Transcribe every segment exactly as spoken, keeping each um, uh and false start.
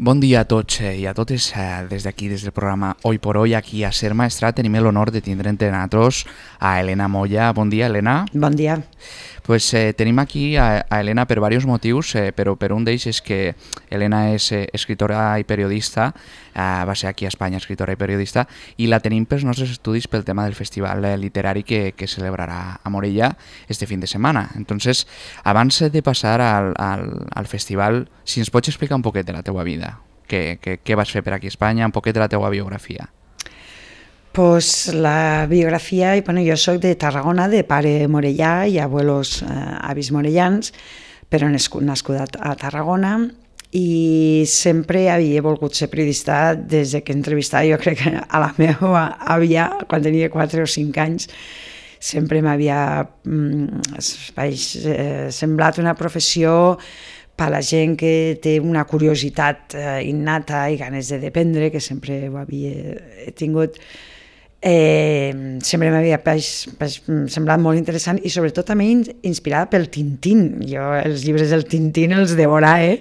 Bon dia a tots eh, i a totes eh, des d'aquí, des del programa Hoy por Hoy, aquí a Ser Maestrat. Tenim l'honor de tindre entre nosaltres a Elena Moya. Bon dia, Elena. Bon dia. Pues eh, tenim aquí a, a Elena per diversos motius, eh, però per un d'ells és que Elena és eh, escritora i periodista, eh, va ser aquí a Espanya escritora i periodista, i la tenim pels nostres estudis pel tema del festival eh, literari que, que celebrarà a Morella este fin de setmana. Entonces, abans de passar al, al, al festival, si ens pots explicar un poquet de la teua vida, què, què, què vas fer per aquí a Espanya, un poquet de la teua biografia. Pues la biografia, bueno, jo soc de Tarragona, de pare morellà i abuelos eh, avis morellans, però nascuda a Tarragona, i sempre havia volgut ser periodista des que entrevistava, jo crec que a la meva àvia, quan tenia quatre o cinc anys, sempre m'havia mm, eh, semblat una professió per a la gent que té una curiositat eh, innata i ganes de dependre, que sempre ho havia tingut. Eh, sempre m'havia semblat molt interessant i sobretot també inspirada pel Tintín. Jo els llibres del Tintín els devorava, eh?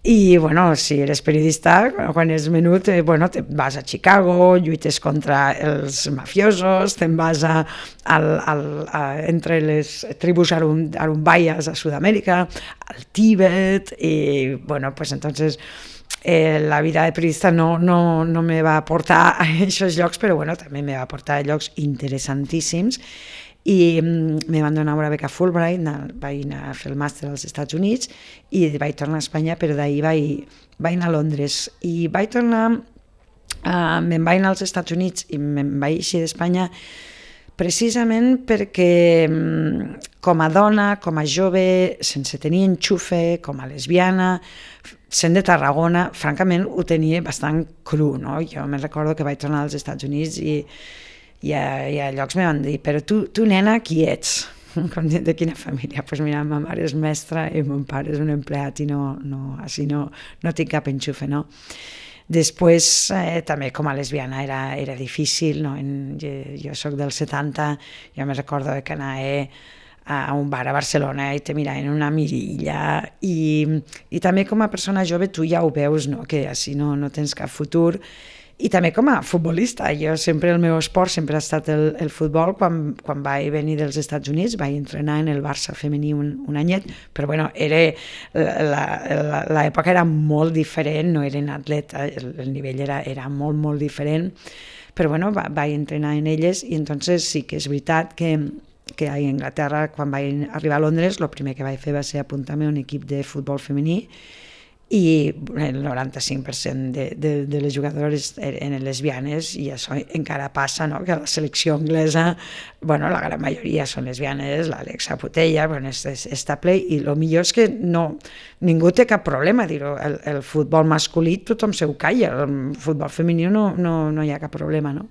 I bueno, si eres periodista, quan és menut, eh, bueno, te vas a Chicago, lluites contra els mafiosos, te'n vas a, al, al, a, entre les tribus arumbaies a Sud-amèrica, al Tíbet, i bueno, pues entonces Eh, la vida de periodista no, no, no me va portar a aquests llocs, però bueno, també me va portar a llocs interessantíssims, i mm, me van donar una beca Fulbright, vaig anar a fer el màster als Estats Units i vaig tornar a Espanya, però d'ahir vaig, vaig anar a Londres i vaig tornar, uh, me'n vaig anar als Estats Units i me'n vaig eixir d'Espanya precisament perquè com a dona, com a jove, sense tenir enxufe, com a lesbiana, sent de Tarragona, francament ho tenia bastant cru, no? Jo me'n recordo que vaig tornar als Estats Units i, i, a, i a llocs me van dir, però tu, tu nena, qui ets? Com de quina família? Doncs pues mira, ma mare és mestra i mon pare és un empleat i no, no, així no, no tinc cap enxufe, no? Després, eh, també com a lesbiana era, era difícil, no? En, jo, jo soc del setanta, jo me recordo que anava a un bar a Barcelona i te mirava en una mirilla, i, i també com a persona jove tu ja ho veus, no? Que així no, no tens cap futur. I també com a futbolista, jo sempre el meu esport sempre ha estat el, el futbol. Quan, quan vaig venir dels Estats Units vaig entrenar en el Barça femení un, un anyet, però bueno, l'època era molt diferent, no eren atleta, el, el nivell era, era molt, molt diferent, però bueno, va, vaig entrenar en elles, i entonces sí que és veritat que que a Anglaterra, quan vaig arribar a Londres, el primer que vaig fer va ser apuntar-me a un equip de futbol femení, i el noranta-cinc per cent de, de, de les jugadores eren lesbianes, i això encara passa, no? Que a la selecció anglesa, bueno, la gran majoria són lesbianes, l'Alexa Putella, bueno, està ple, i el millor és que no, ningú té cap problema a dir-ho. El, el futbol masculí tothom se ho calla, el futbol femení no, no, no hi ha cap problema, no?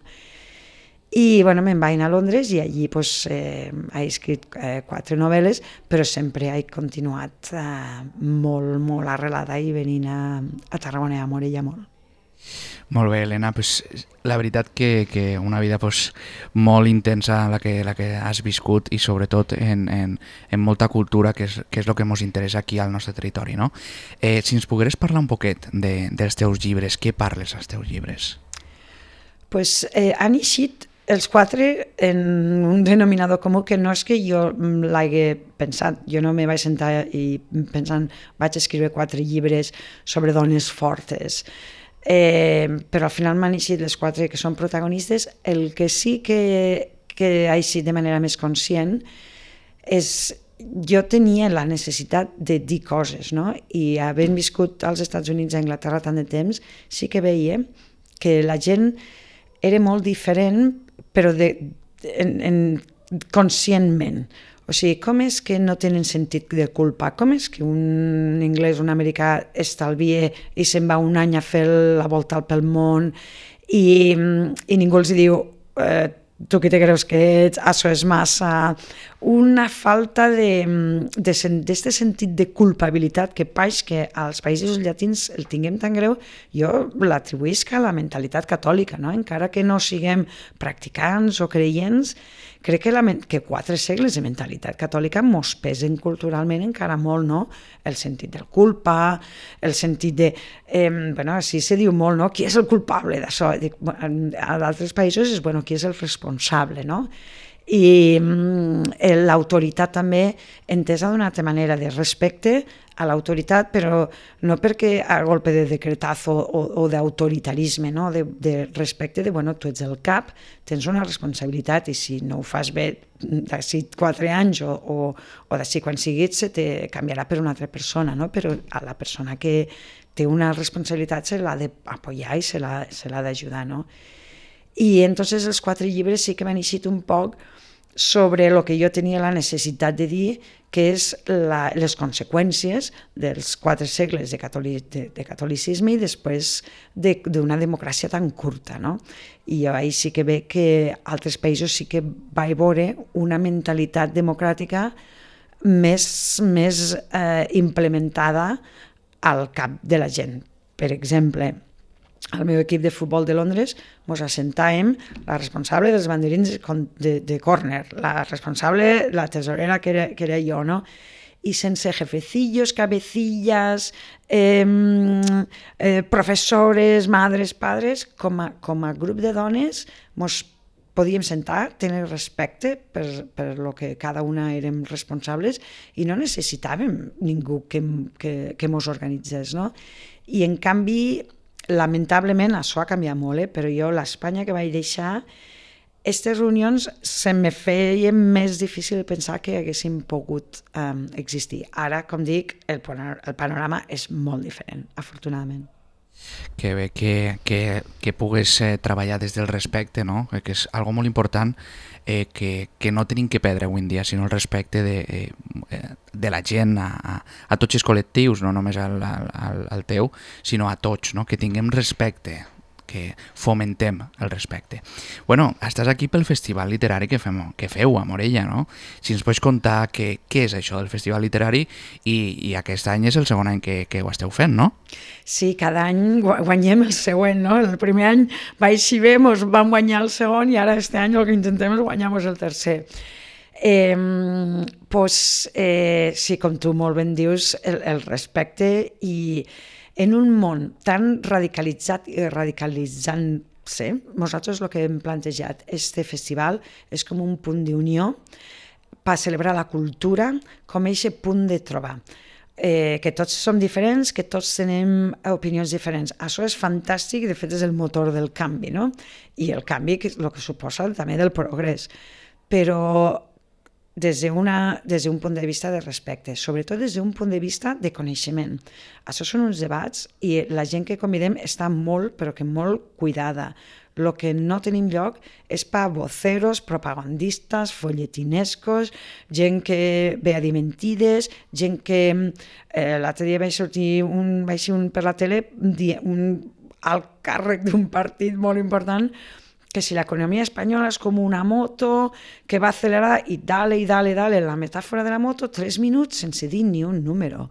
I bueno, me'n vaig anar a Londres i allí pues, eh, he escrit eh, quatre novel·les, però sempre he continuat eh, molt, molt arrelada i venint a, a Tarragona i a Morella molt. Molt bé, Elena, pues, la veritat que, que una vida pues, molt intensa la que, la que has viscut, i sobretot en, en, en molta cultura, que és, que és el que ens interessa aquí al nostre territori, no? Eh, si ens pogueres parlar un poquet de, dels teus llibres, què parles als teus llibres? Pues, eh, han eixit els quatre en un denominador comú que no és que jo l'hagi pensat. Jo no me vaig sentar i pensant vaig escriure quatre llibres sobre dones fortes, eh, però al final m'han eixit les quatre que són protagonistes. El que sí que, que ha eixit de manera més conscient és jo tenia la necessitat de dir coses, no? I havent viscut als Estats Units i a Anglaterra tant de temps, sí que veia que la gent era molt diferent, però de, en, en, conscientment. O sigui, com és que no tenen sentit de culpa? Com és que un anglès, un americà estalvia i se'n va un any a fer la volta pel món i, i ningú els diu eh, tu qui te creus que ets, això és massa, una falta d'aquest sentit de culpabilitat que paix que als països llatins el tinguem tan greu, jo l'atribuïsc a la mentalitat catòlica, no? Encara que no siguem practicants o creients, crec que, la, que quatre segles de mentalitat catòlica mos pesen culturalment encara molt, no? El sentit del culpa, el sentit de... Eh, bueno, així se diu molt, no? Qui és el culpable d'això? A d'altres països és, bueno, qui és el responsable, no? I eh, l'autoritat també entesa d'una altra manera, de respecte a l'autoritat, però no perquè a golpe de decretazo o, o d'autoritarisme, no? de, de respecte de, bueno, tu ets el cap, tens una responsabilitat i si no ho fas bé d'ací quatre anys o, o, o d'ací quan siguis se te canviarà per una altra persona, no? Però a la persona que té una responsabilitat se l'ha d'apoyar i se l'ha d'ajudar, no? I entonces els quatre llibres sí que m'han eixit un poc sobre el que jo tenia la necessitat de dir, que és la, les conseqüències dels quatre segles de, catolic, de, de catolicisme i després d'una de, democràcia tan curta, no? I jo ahir sí que veig que altres països sí que vaig veure una mentalitat democràtica més, més eh, implementada al cap de la gent. Per exemple, al meu equip de futbol de Londres ens assentàvem la responsable dels banderins de, de córner, la responsable, la tesorera que era, que era jo, no? I sense jefecillos, cabecillas, eh, eh, professores, madres, padres, com a, com a grup de dones ens podíem sentar, tenir respecte per, per lo que cada una érem responsables i no necessitàvem ningú que, que, que mos organitzés, no? I en canvi, lamentablement, això ha canviat molt, eh? Però jo, l'Espanya que vaig deixar, aquestes reunions se me feien més difícil pensar que haguessin pogut um, existir. Ara, com dic, el, el panorama és molt diferent, afortunadament. Que bé que, que, que pugues eh, treballar des del respecte, no? Que és algo molt important eh, que, que no tenim que perdre avui en dia, sinó el respecte de, eh, de la gent a, a, a tots els col·lectius, no només al, al, al teu, sinó a tots, no? Que tinguem respecte, que fomentem el respecte. Bueno, estàs aquí pel festival literari que, fem, que feu a Morella, no? Si ens pots contar que, què és això del festival literari i, i aquest any és el segon any que, que ho esteu fent, no? Sí, cada any guanyem el següent, no? El primer any va així bé, ens vam guanyar el segon i ara este any el que intentem és guanyar el tercer. Eh, pues, eh, sí, com tu molt ben dius, el, el respecte i en un món tan radicalitzat i radicalitzant-se, nosaltres el que hem plantejat, este festival és com un punt d'unió per celebrar la cultura com aquest punt de trobar. Eh, que tots som diferents, que tots tenim opinions diferents. Això és fantàstic i de fet és el motor del canvi, no? I el canvi que és el que suposa també del progrés. Però des d'una, des d'un punt de vista de respecte, sobretot des d'un punt de vista de coneixement. Això són uns debats i la gent que convidem està molt, però que molt cuidada. El que no tenim lloc és per voceros, propagandistes, folletinescos, gent que ve a dir mentides, gent que... Eh, l'altre dia vaig sortir un, vaig ser un per la tele, un alt càrrec d'un partit molt important, que si l'economia espanyola és com una moto que va acelerar i dale, i dale, dale, la metàfora de la moto, tres minuts sense dir ni un número.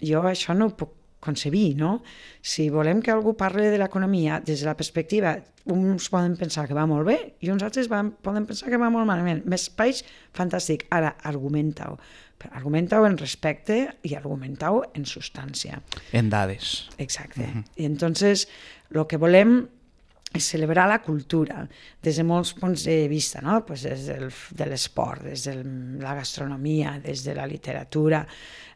Jo això no ho puc concebir, no? Si volem que algú parli de l'economia des de la perspectiva, uns poden pensar que va molt bé i uns altres van, poden pensar que va molt malament. Més peix, fantàstic. Ara, argumenta-ho. Argumenta-ho en respecte i argumenta-ho en substància. En dades. Exacte. Uh-huh. I entonces, el que volem és celebrar la cultura des de molts punts de vista, no? Pues des del, de l'esport, des de la gastronomia, des de la literatura,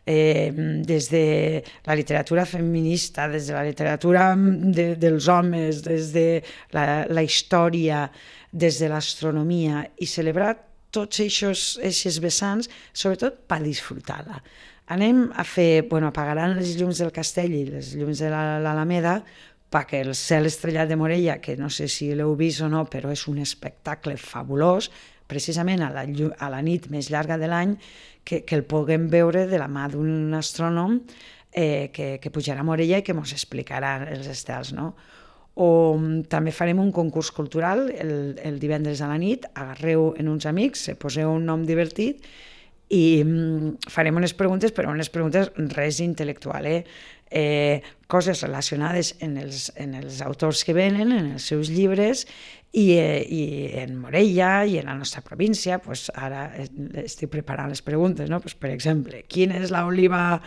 eh, des de la literatura feminista, des de la literatura de, dels homes, des de la, la història, des de l'astronomia, i celebrar tots aquests vessants, sobretot per disfrutar-la. Anem a fer, bueno, apagaran les llums del castell i les llums de l'Alameda, perquè el cel estrellat de Morella, que no sé si l'heu vist o no, però és un espectacle fabulós, precisament a la, a la nit més llarga de l'any, que, que el puguem veure de la mà d'un astrònom eh, que, que pujarà a Morella i que ens explicarà els estels, no? o també farem un concurs cultural el, el divendres a la nit, agarreu en uns amics, se poseu un nom divertit i farem unes preguntes, però unes preguntes res intel·lectual, eh? Eh, coses relacionades en els, en els autors que venen, en els seus llibres, i, eh, i en Morella i en la nostra província, pues ara estic preparant les preguntes, no? Pues, per exemple, quina és l'oliva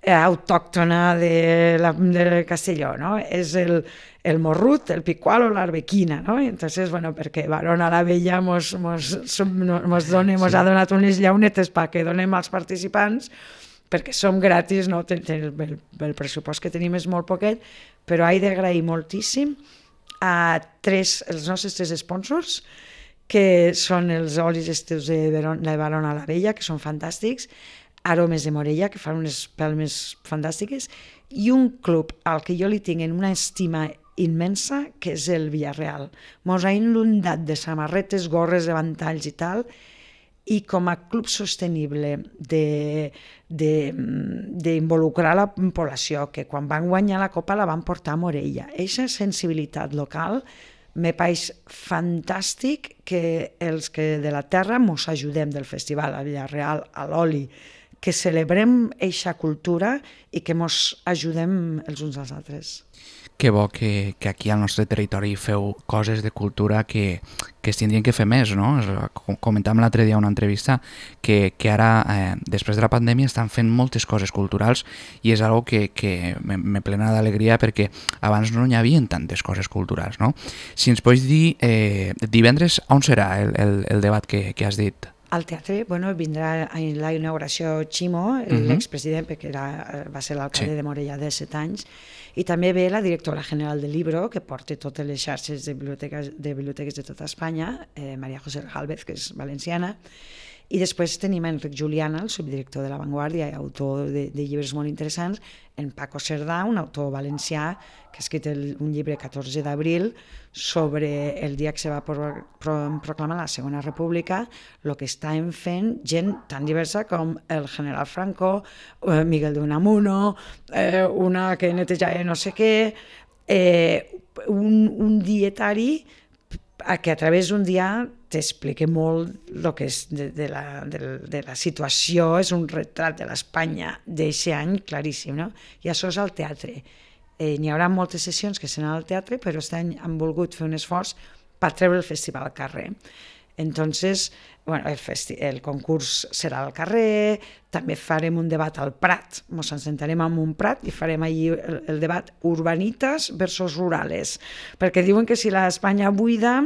autòctona de, la, de Castelló, no? És el, el morrut, el picual o l'arbequina, no? Entonces, bueno, perquè Barona la Vella mos, mos, mos, done, mos sí. ha donat unes llaunetes perquè donem als participants, perquè som gratis, no? El, el, el pressupost que tenim és molt poquet, però he d'agrair moltíssim a tres, els nostres tres sponsors, que són els olis estius de, Veron, de Barona la Vella, que són fantàstics, Aromes de Morella, que fan unes pelmes fantàstiques, i un club al que jo li tinc en una estima immensa, que és el Villarreal. Mos ha inundat de samarretes, gorres, de ventalls i tal, i com a club sostenible d'involucrar la població, que quan van guanyar la Copa la van portar a Morella. Eixa sensibilitat local me pareix fantàstic que els que de la terra mos ajudem del festival a Villarreal, a l'oli, que celebrem eixa cultura i que mos ajudem els uns als altres. Que bo que, que aquí al nostre territori feu coses de cultura que, que es tindrien que fer més, no? Comentàvem l'altre dia una entrevista que, que ara, eh, després de la pandèmia, estan fent moltes coses culturals i és algo que, que me, me plena d'alegria perquè abans no hi havia tantes coses culturals, no? Si ens pots dir, eh, divendres, on serà el, el, el debat que, que has dit? Al teatre, bueno, vindrà a la inauguració Ximo, uh-huh. l'expresident, perquè era, va ser l'alcalde sí. de Morella de set anys, i també ve la directora general del Libro, que porta totes les xarxes de biblioteques de, biblioteques de tota Espanya, eh, Maria José Gálvez, que és valenciana, i després tenim Enric Juliana, el subdirector de La Vanguardia i autor de, de llibres molt interessants, en Paco Cerdà, un autor valencià que ha escrit el, un llibre catorze d'abril sobre el dia que se va pro, pro, proclamar la Segona República, el que estan fent gent tan diversa com el general Franco, eh, Miguel de Unamuno, eh, una que netejava no sé què, eh, un, un dietari que a través d'un dia t'explica molt el que és de, de, la, de, de la situació, és un retrat de l'Espanya d'aquest any claríssim, no? I això és al teatre. Eh, n'hi haurà moltes sessions que seran al teatre, però aquest any han volgut fer un esforç per treure el festival al carrer. Entonces, bueno, el, festi el concurs serà al carrer, també farem un debat al Prat, ens sentarem en un Prat i farem allí el, el debat urbanitas versus rurales, perquè diuen que si l'Espanya buida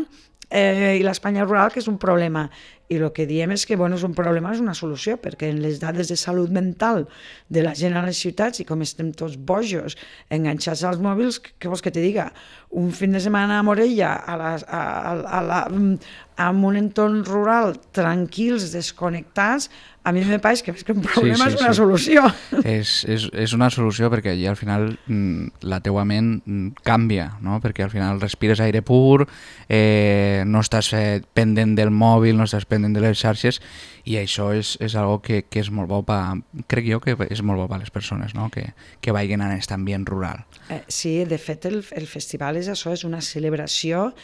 eh, i l'Espanya rural que és un problema, i el que diem és que bueno, és un problema, és una solució, perquè en les dades de salut mental de la gent a les ciutats, i com estem tots bojos, enganxats als mòbils, què vols que te diga? Un fin de setmana a Morella, a la, a, a la, en un entorn rural, tranquils, desconnectats, a mi me pareix que més que un problema sí, sí, és una sí. solució. És, és, és una solució perquè allà al final la teua ment canvia, no? Perquè al final respires aire pur, eh, no estàs eh, pendent del mòbil, no estàs pendent de les xarxes, i això és, és algo que, que és molt bo pa, crec jo que és molt bo per a les persones, no? que, que vagin en aquest ambient rural. Eh, sí, de fet el, el festival és això, és una celebració,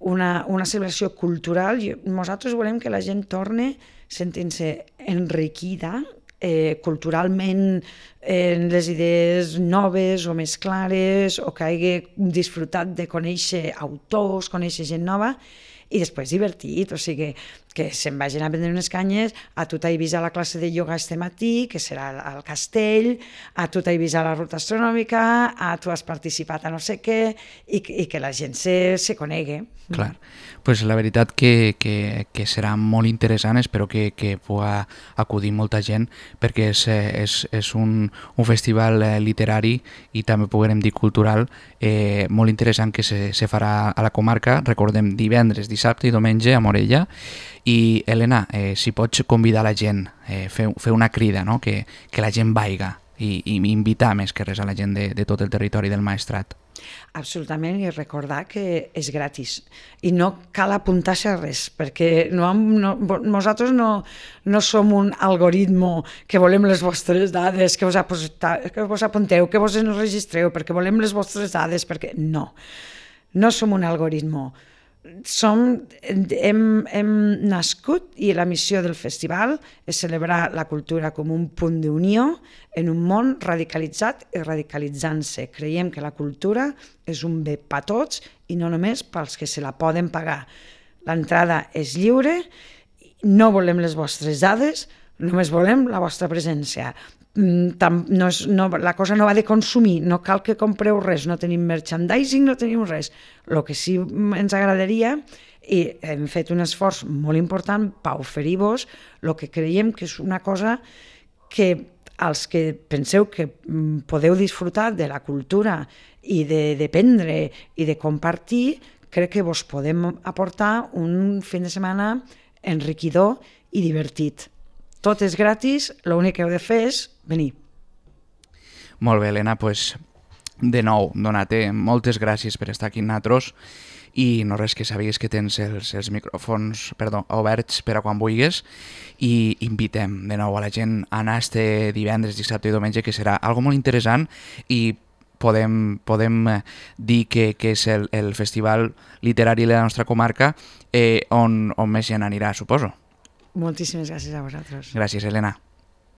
una, una celebració cultural. Nosaltres volem que la gent torne sentint-se enriquida eh, culturalment en les idees noves o més clares, o que hagi disfrutat de conèixer autors, conèixer gent nova, i després divertit, o sigui, que se'n vagin a prendre unes canyes, a tu t'he vist a la classe de ioga este matí, que serà al castell, a tu t'he vist a la ruta astronòmica, a tu has participat a no sé què, i, i que la gent se, se conegui. Clar, pues la veritat que, que, que serà molt interessant, espero que, que pugui acudir molta gent, perquè és, és, és un, un festival literari i també podrem dir cultural, eh, molt interessant, que se, se farà a la comarca, recordem, divendres, dissabte i diumenge a Morella. I Elena, eh, si pots convidar la gent, eh, fer, fer una crida, no? que, que la gent vaiga i, i invitar més que res a la gent de, de tot el territori del Maestrat. Absolutament, i recordar que és gratis i no cal apuntar-se a res, perquè no, no, nosaltres no, no som un algoritme que volem les vostres dades, que vos, apunta, que vos apunteu, que vos enregistreu, perquè volem les vostres dades, perquè no. no som un algoritme. Som, hem, hem nascut i la missió del festival és celebrar la cultura com un punt d'unió en un món radicalitzat i radicalitzant-se. Creiem que la cultura és un bé per tots i no només pels que se la poden pagar. L'entrada és lliure, no volem les vostres dades, només volem la vostra presència. No és, no, la cosa no va de consumir, no cal que compreu res, no tenim merchandising, no tenim res. El que sí ens agradaria, i hem fet un esforç molt important per oferir-vos el que creiem que és una cosa que els que penseu que podeu disfrutar de la cultura i de dependre i de compartir, crec que vos podem aportar un fin de setmana enriquidor i divertit. Tot és gratis, l'únic que heu de fer és venir. Molt bé, Helena, doncs de nou, donar-te moltes gràcies per estar aquí amb nosaltres i no res, que sàpigues que tens els, els micròfons perdó, oberts per a quan vulguis, i invitem de nou a la gent a anar este divendres, dissabte i diumenge, que serà algo molt interessant i podem, podem dir que, que és el, el festival literari de la nostra comarca eh, on, on més gent anirà, suposo. Moltíssimes gràcies a vosaltres. Gràcies, Helena.